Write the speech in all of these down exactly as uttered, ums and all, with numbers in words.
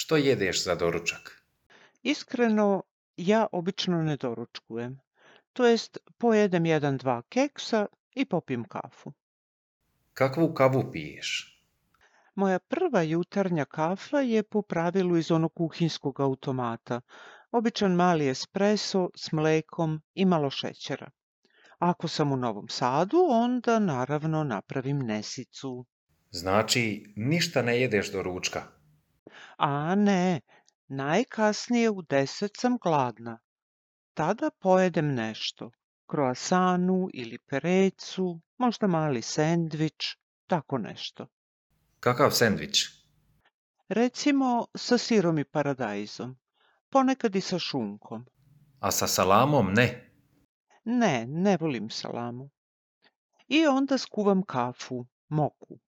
Što jedeš za doručak? Iskreno, ja obično ne doručkujem. To jest, pojedem jedan, dva keksa i popijem kafu. Kakvu kavu piješ? Moja prva jutarnja kafa je po pravilu iz onog kuhinjskog automata. Običan mali espresso s mlekom i malo šećera. Ako sam u Novom Sadu, onda naravno napravim nesicu. Znači, ništa ne jedeš do ručka. A ne, najkasnije u deset sam gladna. Tada pojedem nešto. Kroasanu ili perecu, možda mali sendvič, tako nešto. Kakav sendvič? Recimo sa sirom i paradajzom. Ponekad i sa šunkom. A sa salamom ne. Ne, ne volim salamu. I onda skuvam kafu, moku.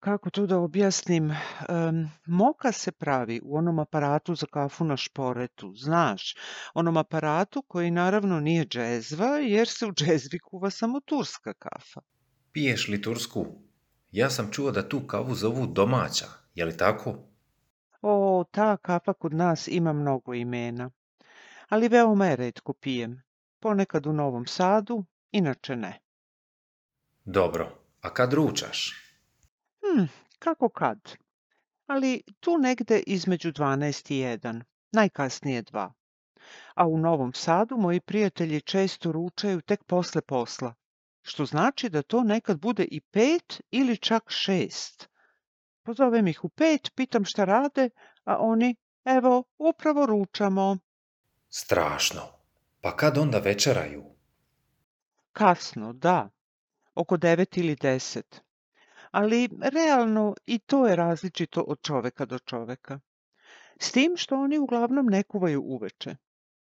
Kako to da objasnim? Em, moka se pravi u onom aparatu za kafu na šporetu, znaš, onom aparatu koji naravno nije džezva, jer se u džezvi kuva samo turska kafa. Piješ li tursku? Ja sam čuo da tu kavu zovu domaća, je li tako? O, ta kafa kod nas ima mnogo imena, ali veoma je retko pijem. Ponekad u Novom Sadu, inače ne. Dobro, a kad ručaš? Hm, kako kad? Ali tu negde između dvanaest i jedan, najkasnije dva. A u Novom Sadu moji prijatelji često ručaju tek posle posla, što znači da to nekad bude i pet ili čak šest. Pozovem ih u pet, pitam šta rade, a oni, evo, upravo ručamo. Strašno. Pa kad onda večeraju? Kasno, da, oko devet ili deset. Ali realno i to je različito od čoveka do čoveka. S tim što oni uglavnom ne kuvaju uveče.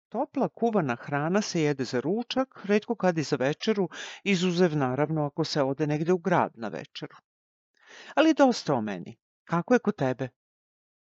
Topla kuvana hrana se jede za ručak, retko kad i za večeru, izuzev naravno ako se ode negde u grad na večeru. Ali dosta o meni. Kako je kod tebe?